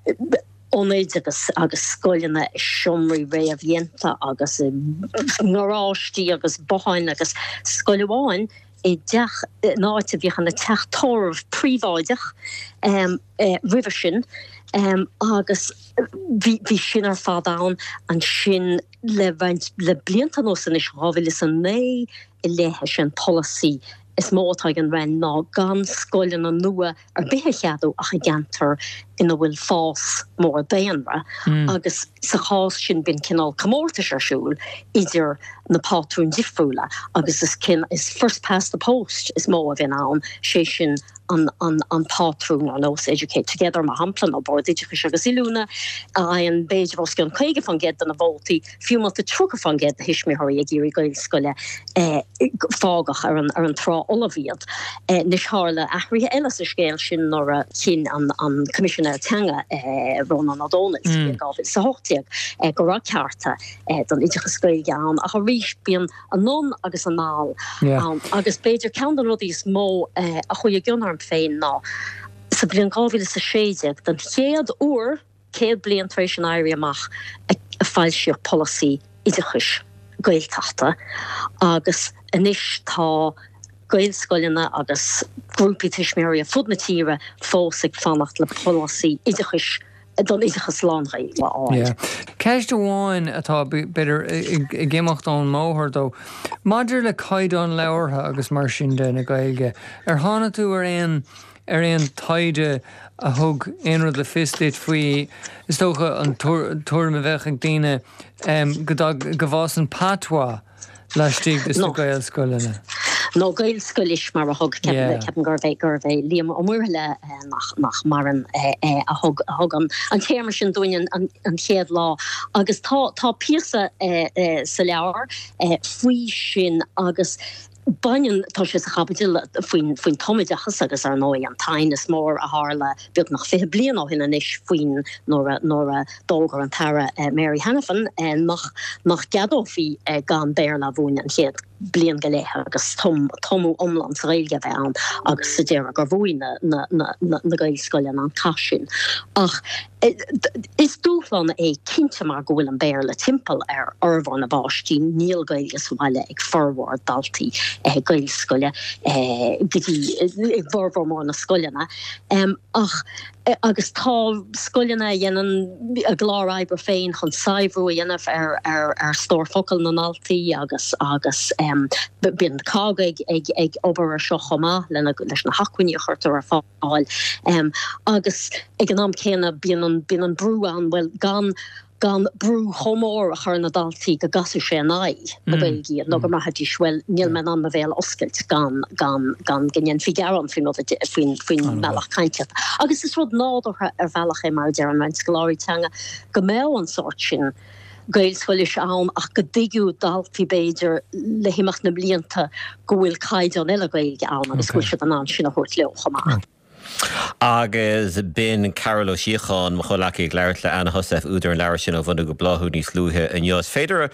ionaid agus agus scoileanna i seomraí réamhdhéanta agus i ngaráistí agus botháin agus scoil amháin i dteach in áit a bhíodh ina teach tórraimh príobháideach um, eh, roimhe sin um, agus bhí bhí sin ar fad ann ansin le roinnt le blianta anuas anois dhá mhíle is a naoi i leith is é an polasaí is mó atá ag an Roinn ná gan scoileanna nua ar bith a cheadú ach i gceantar ina bhfuil fás mór daonra agus sa chás sin bíonn cineál comórtais ar siúl idir na pátrúin difriúla agus is cin is first past the post is mó a bhíonn ann sé sin an, an, an pátrún ar nós Educate Together mar shampla nó Bord Oideachais agus Oiliúna a fhaigheann b'fhéidir os cionn caoga faoin gcéad de na vótaí, fiú má tá tríocha faoin gcéad de thuismitheoirí ag iarraidh Gaelscoile eh, fágadh ar an, ar an trá fholamh iad. Eh, anois tharla athruithe eile sa scéal sin nuair a chinn an, an Coimisinéir Teanga eh, Rónán Ó Domhnaill sa bhliain dhá mhíle is a hocht déag eh, go raibh cearta eh, don oideachas Gaeilge ann ach arís bíonn anonn agus anall Yeah. ann agus b'fhéidir ceann de na rudaí is mó eh, a chuaigh i gcion orm féin ná sa bhliain dhá mhíle is a sé déag den chéad uair céad bliain tar éis an Éirí Amach a, a foilsíodh polasaí oideachais Gaeltachta agus anois tá Gaelscoileanna agus grúpaí tuismitheoirí ar fud na tíre fós ag fanacht le polasaí oideachais don oideachas lán-Ghaeilge a fháil. Yeah. Ceist amháin atá b'fhéidir ag imeacht ón mbóthar dó. Maidir le caighdeán labhartha agus mar sin de na Gaeilge, ar tháinig tú ar aon ar aon taighde a thug aon rud le fios duit faoi is dócha an tuairim a bheadh ag daoine go go bhfásann patois laistigh de na Gaelscoileanna. Nó Gaelscoilis mar a thug ceapaim gurbh é gurbh é Liam Ó Muirthile nach nach maireann a thug a thug an an téarma sin dúinn an an chéad lá agus tá tá píosa sa leabhar faoi sin agus baineann tá sé sa chaibidil faoin faoin tumoideachas agus ar ndóigh an t-aighneas mór a tharla beagnach fiche bliain ó shin anois faoin nuair a nuair a d'fhógair an tAire Mary Hanafin nach nach gceadófaí gan Béarla a mhúineadh an chéad bliain go leith agus tum tumadh iomlán sa Ghaeilge a bheith ann agus sa deireadh gur bhuaigh na na na na na Gaelscoileanna an cath sin. Ach is dúshlán é cinnte mar go bhfuil an Béarla timpeall ar fhormhór na bpáistí, níl Gaeilge sa bhaile ag formhór daltaí Gaelscoile go dtí i bhformhór mór na scoileanna. Ach agus tá scoileanna a dhéanann a gclár oibre féin chun saibhriú a dhéanamh ar ar ar stór focal na ndaltaí agus agus bíonn COGG ag ag ag obair ar seo chomh maith lena leis na hacmhainní a chuirtear ar fáil. Agus ag an am céanna bíonn an bíonn an brú ann bhuel gan gan brú chomh mór a chur ar na daltaí go gcasfaidh sé in aghaidh na Gaeilge iad nó go mbraithfidís bhuel níl mé in ann mo bhéal a oscailt gan gan gan go ndéanfaí gearán faoin rud faoin faoin mbealach cainte. Agus is rud nádúrtha ar bhealach é mar a deireann roinnt scoláirí teanga go mbeadh an sórt sin Gaelscoilis ann ach go dtuigfeadh daltaí b'fhéidir le himeacht na mblianta go bhfuil caighdeán eile Gaeilge ann agus go bhfuil siad in ann sin a thabhairt leo chomh maith. Agus b'in Carol Ó Síocháin, mo chomhleacaí ag labhairt le Anna Heussaff, údar an leabhair sin Ó Bhunú go Bláthú níos luaithe inniu. Is féidir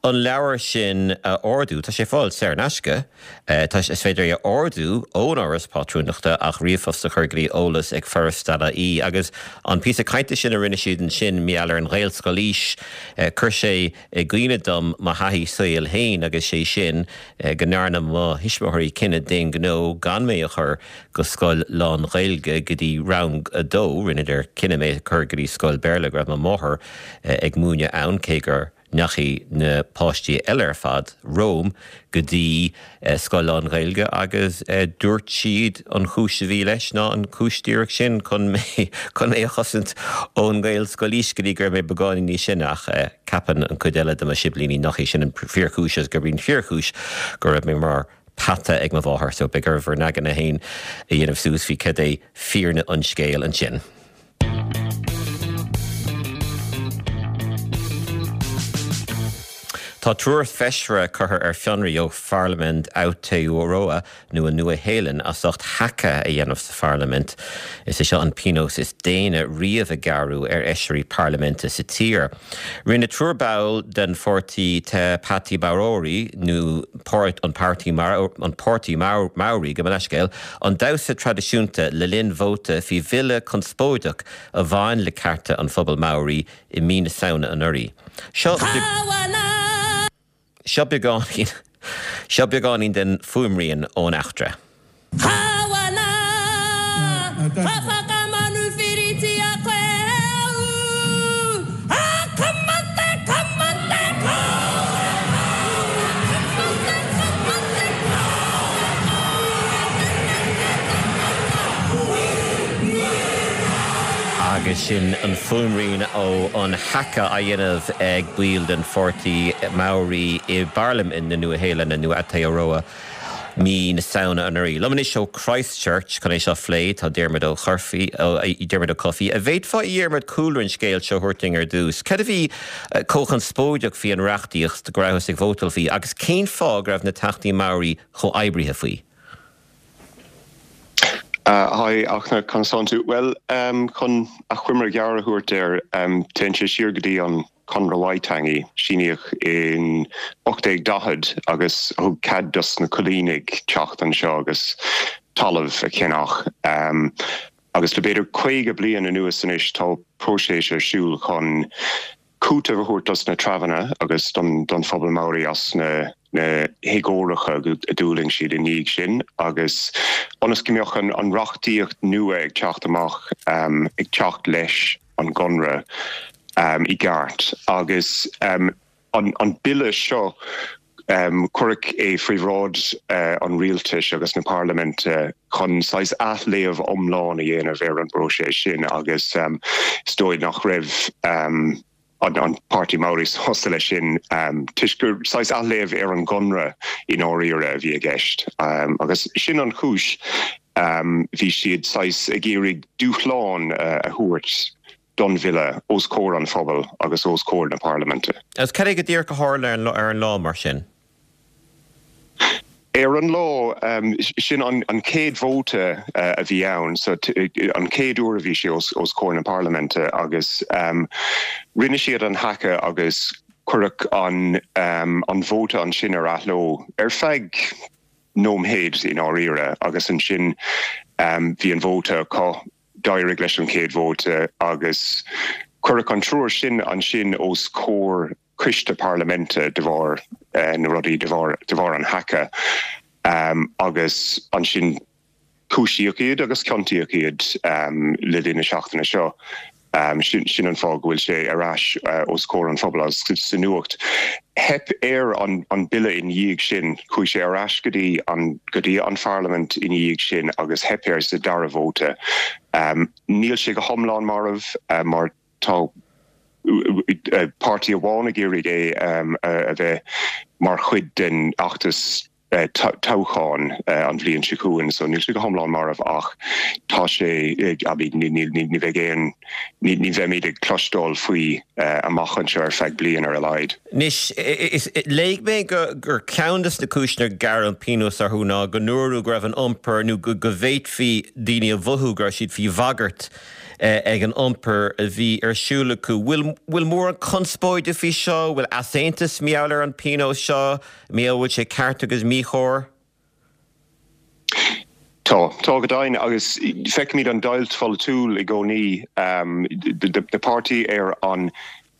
an leabhar sin a ordú, tá sé ar fáil saor in aisce, tá is féidir é a ordú ón Fhoras Pátrúnachta ach ríomhphost a chur go dtí eolas ag foras dot ie. Agus an píosa cainte sin a rinne siad ansin mar gheall ar an Ghaelscolaois, chuir sé i gcuimhne dom mo thaithí saoil féin agus sé sin go ndearna mo thuismitheoirí cinneadh d'aon ghnó gan mé a chur go scoil lán-Ghaeilge go dtí rang a dó, rinneadar cinneadh mé a chur go dtí scoil Béarla go raibh mo mháthair ag múineadh ann, cé gur ndeachaigh na páistí eile ar fad romham go dtí scoil lán-Ghaeilge agus dúirt siad an chúis a bhí leis ná an chúis díreach sin chun mé chun mé a chosaint ón nGaelscolaois go dtí go raibh mé beagáinín níos sine ach ceapann an chuid eile de mo shiblíní nach é sin an fíorchúis agus gurb í an fíorchúis go raibh mé mar peata ag mo mháthair so beidh oraibh bhur n-aigne féin a dhéanamh suas faoi cad é fírinne an scéil ansin. Tá triúr feisire curtha ar fionraí ó Pharlaimint Aotearoa nó an Nua-Shéalainn as ucht haka a dhéanamh sa pharlaimint. Is é seo an pionós is déine riamh a gearradh ar fheisirí parlaiminte sa tír. Rinne triúr ball den pháirtí Te Pāti Maori nó an Páirtí an Páirtí Maori gabh mo leithscéal, an damhsa traidisiúnta le linn vóta faoi bhille conspóideach a bhain le cearta an phobail Maori i mí na Samhna anuraidh. Seo Seo beagáinín Seo beagáinín den fuaimrian ón eachtra. Agus sin an fuaimrian ó an haka á dhéanamh ag baill den pháirtí Maori i bParlaimint na Nua-Shéalainne nó Aotearoa mí na Samhna anuraidh. Liom anois ó Christchurch chun é seo a phlé tá Diarmuid Ó Cofaigh, Diarmuid Ó Cofaigh. An bhféadfá a Dhiarmuid cúlra an scéil seo a thabhairt dúinn ar dtús? Cad a bhí chomh conspóideach faoi an reachtaíocht go rabhthas ag vótáil faoi agus cén fáth go raibh na teachtaí Maori chomh oibrithe faoi? Hi, Fhachtna, conas tánn tú? Bhuel, chun achoimre ghearr a thabhairt air, téann sé siar go dtí an Conradh Waitangi, síníodh in ocht déag daichead agus a thug cead dos na coilínigh teacht anseo agus talamh a cheannach. Agus le b'fhéidir caoga bliain anuas anois tá próiseas ar siúl chun cúiteamh a thabhairt dos na treibheanna agus don phobal Maori as na héagóracha a d'fhulaing siad i ndiaidh sin agus ionas go mbeadh an reachtaíocht nua ag teacht amach ag teacht leis an gconradh i gceart. Agus an bille seo, cuireadh é faoi bhráid an rialtais agus na parlaiminte chun saghas athléamh iomlán a dhéanamh ar an bpróiseas sin agus is dóigh nach raibh an Páirtí Maori sásta leis sin toisc gur saghas athléamh ar an gconradh i ndáiríre a bhí i gceist agus sin an chúis bhí siad saghas ag iarraidh dúshlán a thabhairt don bhille os comhair an phobail agus os comhair na parlaiminte. Agus cad é go díreach a tharla ar an lá mar sin? Ar an lá, sin an chéad vóta a bhí ann, so an chéad uair a bhí sé os comhair na parlaiminte agus rinne siad an haka agus cuireadh an vóta ansin ar athló ar feadh nóiméid i ndáiríre agus ansin bhí an vóta acu. D'éirigh leis an chéad vóta agus cuireadh an triúr sin ansin os comhair coiste parlaiminte de bharr na rudaí, de bharr de bharr an haka agus ansin cúisíodh iad agus ciontaíodh iad le linn na seachtaine seo. Sin an fáth go bhfuil sé ar ais os comhair an phobail agus sa nuacht. Theip ar an bille ina dhiaidh sin. Chuaigh sé ar ais go dtí an go dtí an pharlaimint ina dhiaidh sin agus theip air sa dara vóta. Níl sé go hiomlán marbh mar tá páirtí amháin ag iarraidh é a bheith mar chuid den fheachtas toghchán an bhliain seo chugainn, so níl sé go hiomlán marbh ach tá sé, I mean, ní, ní, ní, ní bheidh aon, ní, ní bheimid ag cloisteáil faoi amach anseo ar feadh bliain ar a laghad. Anois, is, léigh mé go, gur ceann de na cúiseanna gur gearradh an pionós orthu ná go ndúradh go raibh an iompar nó go, go bhféadfaí daoine a mhothú go raibh siad faoi bhagairt ag an iompar a bhí ar siúl acu. Bhfuil, bhfuil mórán conspóide faoi seo? Bhfuil easaontas mar gheall ar an pionós seo? Mar bhfuil sé ceart agus míchóir? Tá, tá go deimhin agus feicimid an deighilt pholaitiúil i gcónaí. Na páirtithe ar an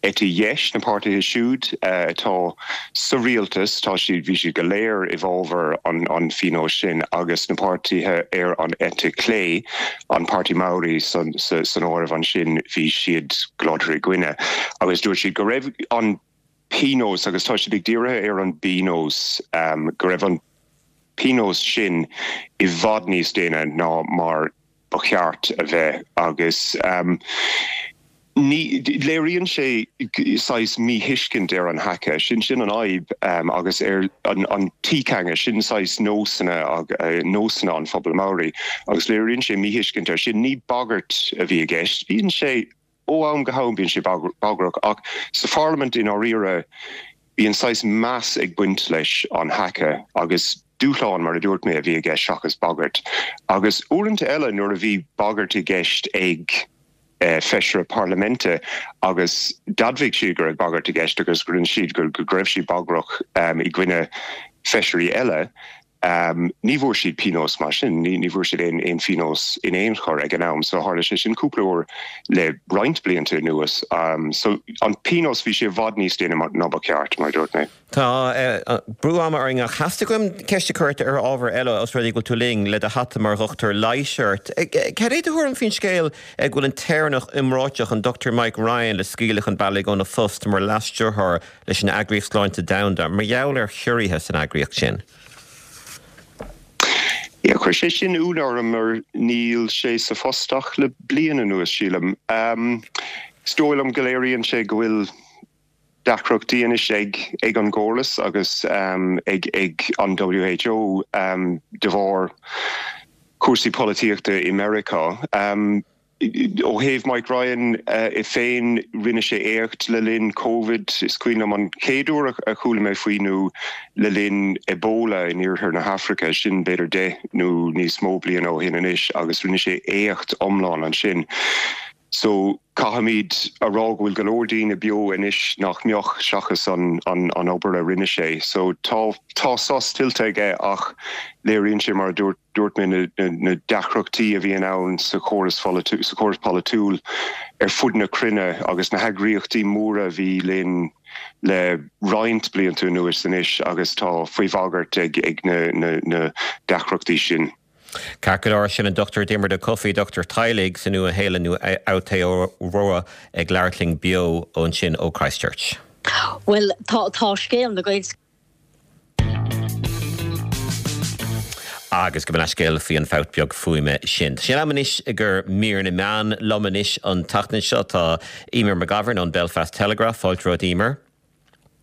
eite dheis, na páirtithe siúd atá sa rialtas, tá siad, bhí siad go léir i bhfabhar an an phionóis sin agus na páirtithe ar an eite chlé, an Páirtí Maori san san áireamh ansin, bhí siad go láidir i gcoinne agus dúirt siad go raibh an pionós, agus tá siad ag díriú ar an bpionós, go raibh an pionós sin i bhfad níos déine ná mar ba cheart a bheith agus ní, léiríonn sé saghas míthuiscint ar an haka, sin sin an fhadhb agus ar an an tikanga, sin saghas nósanna nósanna an phobail Maori agus léiríonn sé míthuiscint air sin. Ní bagairt a bhí i gceist, bíonn sé ó am go ham bíonn sé bagrach ach sa pharlaimint i ndáiríre bíonn saghas meas ag baint leis an haka agus dúshlán mar a dúirt mé a bhí i gceist seachas bagairt. Agus uaireanta eile nuair a bhí bagairt i gceist ag feisire parlaiminte agus d'admhaigh siad go raibh bagairt i gceist agus go rinne siad go raibh siad bagrach i gcoinne feisirí eile, ní bhfuair siad pionós mar sin, ní bhfuair siad aon aon phionós in aon chor ag an am. So tharla sé sin cúpla uair le roinnt blianta anuas. So an pionós, bhí sé i bhfad níos déine ná ba cheart, mar a dúirt mé. Tá brú ama orainn ach theastaigh uaim ceist a chur ort ar ábhar eile os rud é go bhfuil tú linn le do hata mar dhochtúir leighis ort. Cad é do thuairim faoin scéal go bhfuil an tÉireannach iomráiteach an Dochtúir Mike Ryan le scaoileadh chun bealaigh óna phost mar Leas-Stiúrthóir leis an Eagraíocht Sláinte Domhanda mar gheall ar chiorruithe san eagraíocht sin? Yeah, chuir sé sin ionadh orm mar níl sé sa phost ach le bliain anuas, sílim. Is dóigh liom go léiríonn sé go bhfuil deacrachtaí anois ag ag an gcóras agus ag ag an WHO de bharr cúrsaí polaitíochta i Meiriceá. Ó thaobh Mike Ryan é féin, rinne sé éacht le linn Covid. Is cuimhin liom an chéad uair a chuala mé faoi nó le linn Ebola in iarthar na hAfraice, sin b'fhéidir deich nó níos mó bliain ó shin anois, agus rinne sé éacht iomlán ansin. So, caithfimid a rá go bhfuil go leor daoine beo anois nach mbeadh seachas an an obair a rinne sé. So, tá tá sos tuillte aige ach léiríonn sé, mar a dúirt dúirt mé, na na na deacrachtaí a bhíonn ann sa chóras sa chóras polaitiúil ar fud na cruinne agus na heagraíochtaí móra a bhí linn le roinnt blianta anuas anois agus tá faoi bhagairt ag ag na na na deacrachtaí sin. Ceart go leor, sin an Dochtúir Diarmuid Ó Cofaigh, dochtúir teaghlaigh sa Nua-Shéalainn nó Aotearoa ag labhairt linn beo ansin ó Christchurch. Bhuel, tá tá scéal na Gaelscoile. Agus gabh mo leithscéal faoi an fabht beag fuaime sin. Tá sé in am anois i gcomhair mír na meán. Liom anois an tseachtain seo tá Eimear McGovern ón Belfast Telegraph. Fáilte romhat, Eimear.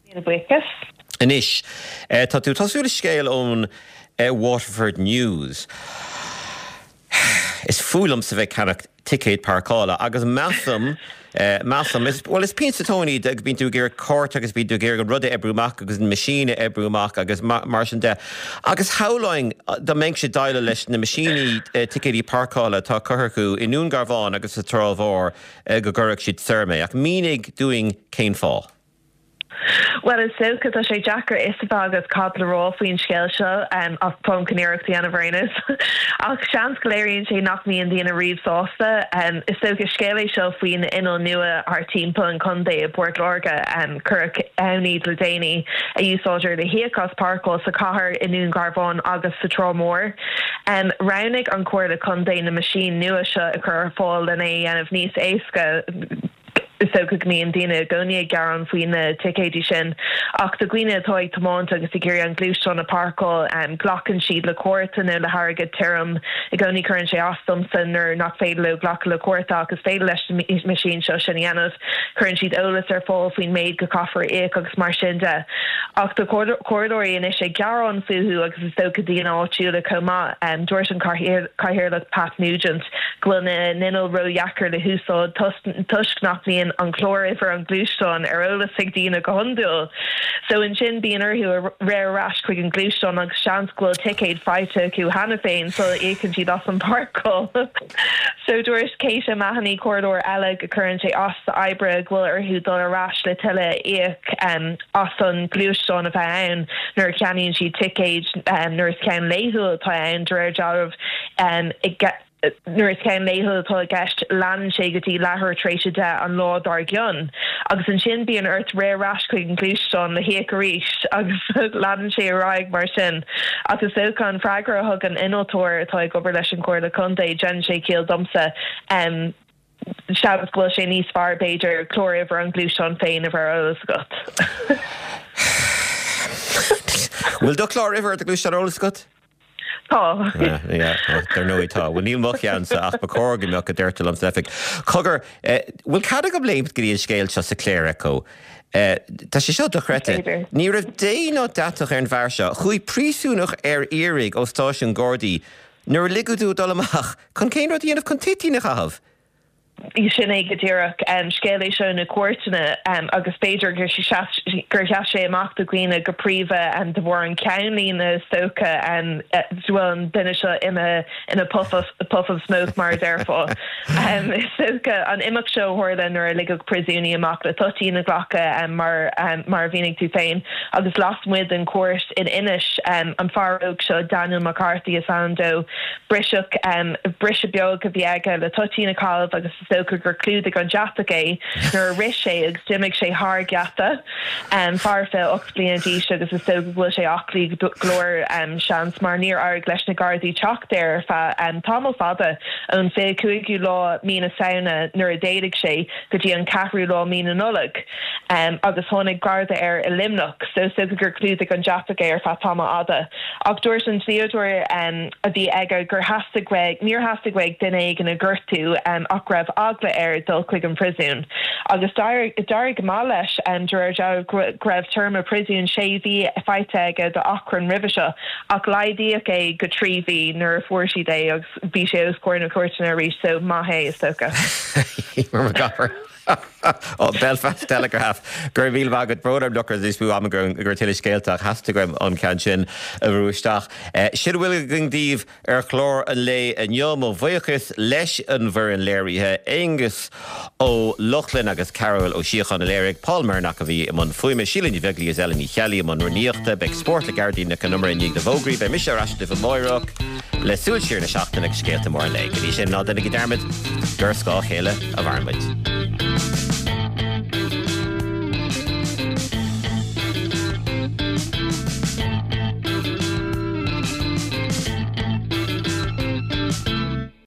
Míle buíochas. Anois, tá tú ag tosú le scéal ón Waterford News. Is fuath liomsa bheith ag ceannach ticéad páirceála agus measaim, measaim, is, bhuel is pian sa tóin iad agus bíonn tú ag iarraidh cárta agus bíonn tú ag iarraidh an rud a oibriú amach agus an meaisín a oibriú amach agus mar sin de. Agus shamhlóinn dá mbeinnse ag déileáil leis na meaisíní ticéidí páirceála atá curtha acu i nDún Garbhán agus sa Trá Mhór go gcuirfeadh siad soir mé. Ach mínigh dúinn cén fáth. Bhuel, is dócha, tá sé deacair fhios a bheith agat cad le rá faoin scéal seo, ach táim chun iarracht a dhéanamh ar aon nós. Ach seans go léiríonn sé nach mbíonn daoine riamh sásta. Is dócha, scéal é seo faoi na innill nua thart timpeall an chontae i bPort Láirge. Cuireadh ann iad le déanaí, a úsáidtear le híoc as páirceáil sa chathair, i nDún Garbhán agus sa Trá Mhór. Roghnaigh an Chomhairle Contae na meaisín nua seo a chur ar fáil lena é a dhéanamh níos éasca. Is dócha go mbíonn daoine i gcónaí ag gearán faoi na ticéidí sin, ach do dhaoine atá ag tiomáint agus ag iarraidh an gluaisteán a pháirceáil, glacann siad le cárta nó le hairgead tirim. I gcónaí cuireann sé as domsa nuair nach féidir leo glacadh le cárta ach is féidir leis na meaisín seo sin a dhéanamh. Cuireann siad eolas ar fáil faoin méid go caithfear a íoc agus mar sin de. Ach tá comhairleoirí anois ag gearán fúthu agus is dócha daoine áitiúla chomh maith. Dúirt an Cathaoirleach Pat Nugent go bhfuil na n-innill ródheacair le húsáid toisc nach mbíonn an cláruimhir an ghluaisteáin ar eolas ag daoine go hiondúil. So ansin bíonn orthu rith ar ais chuig an gluaisteán agus seans go bhfuil ticéad faighte acu cheana féin sula íocann siad as an bpáirceáil. So dúirt Kate O'Mahony, comhairleoir eile, go cuireann sé as d'oibrithe go bhfuil orthu dul ar ais le tuilleadh a íoc as an gluaisteán a bheith ann nuair a cheannaíonn siad ticéid nuair is ceann laethúil atá ann de réir dealraimh Nuair is ceann laethúil atá i gceist, leanann sé go dtí leathuair tar éis a deich an lá dár gcionn. Agus ansin bíonn ort rith ar ais chuig an ngluaisteán le híoc arís agus leanann sé ar aghaidh mar sin. Ach is dócha an freagra a thug an innealtóir atá ag obair leis an Chomhairle Contae, déanann sé ciall domsa. Seans go bhfuil sé níos fearr, b'fhéidir, cláruimhir an ghluaisteáin féin a bheith ar eolas agat. Bhfuil do chlár-uimhir do ghluaisteáin ar eolas agat? Tá. Dar ndóigh tá. Bhuel níl mo cheannsa ach ba chóir go mbeadh a deirtear liom san oifig. Cogar, bhfuil cead agam léimt go dtí an scéal seo sa Clare Echo? Tá sé seo dochreidte. Ní raibh dé ná deatach ar an bhfear seo. Chuaigh príosúnach ar iarraidh ó stáisiún Gardaí nuair a ligeadh dó dul amach chun cén rud a dhéanamh chun toitín a chaitheamh. Sin é go díreach. Scéal é seo na cúirteanna agus b'fhéidir gur sheas sé amach do dhaoine go príomha de bharr an cheannlíne is dócha go bhfuil an duine seo imithe in a puff of, puff of smoke mar a déarfá. Is dócha an imeacht seo a tharla nuair a ligeadh príosúnaí amach le toitín a ghlacadh mar mar a mhínigh tú féin agus lasmuigh den chúirt in Inis an fear óg seo Daniel McCarthy is ainm dó briseadh briseadh beag a bhí aige le toitín a chaitheamh agus is dócha gur chlúdaigh an deatach é nuair a rith sé agus d'imigh sé thar geata. Fear fiche ocht bliana d'aois agus is dócha go bhfuil sé aclaí go leor seans mar níor éirigh leis na Gardaí teacht air ar feadh tamall fada ón fiche cúigiú lá mí na Samhna nuair a d'éalaigh sé go dtí an ceathrú lá mí na Nollag agus tháinig Garda air i Luimneach so is dócha gur chlúdaigh an deatach é ar feadh tamall fhada. Ach dúirt an dlíodóir a bhí aige gur theastaigh uaidh, níor theastaigh uaidh duine éigin a ghortú ach go raibh eagla air dul chuig an phríosún. Agus d'éirigh go maith leis, de réir dealraimh, go raibh téarma príosúin sé mhí faighte aige d'achrann roimhe seo, ach laghdaíodh é go trí mhí nuair a fuair siad é agus bhí sé os comhair na cúirteanna arís, so maith é, is dócha. Ó Belfast Telegraph, Go raibh míle maith agat. Brón orm nach raibh níos mó ama agam do tuilleadh scéalta ach theastaigh uaim an ceann sin a bhrú isteach. Sin a bhfuil againn daoibh ar chlár an lae inniu. Mo bhuíochas leis an bhfoireann léirithe, Aonghus Ó Lochlainn agus Cearbhall Ó Síocháin a léirigh, Paul Murnock a bhí i mbun fuaime, Síle Ní Bheaglaoí is Ellen Ní Cheallaigh i mbun rúnaíochta. Beidh Spórt le Gearóidín Nic Con Iomaire i ndiaidh na bhfógraí. Beidh mise ar ais libh amáireach le súil siar na seachtaine agus scéalta móra an lae. Go dtí sin, ná déanaigí dearmad gur ar scáth a chéile a mhaireann muid.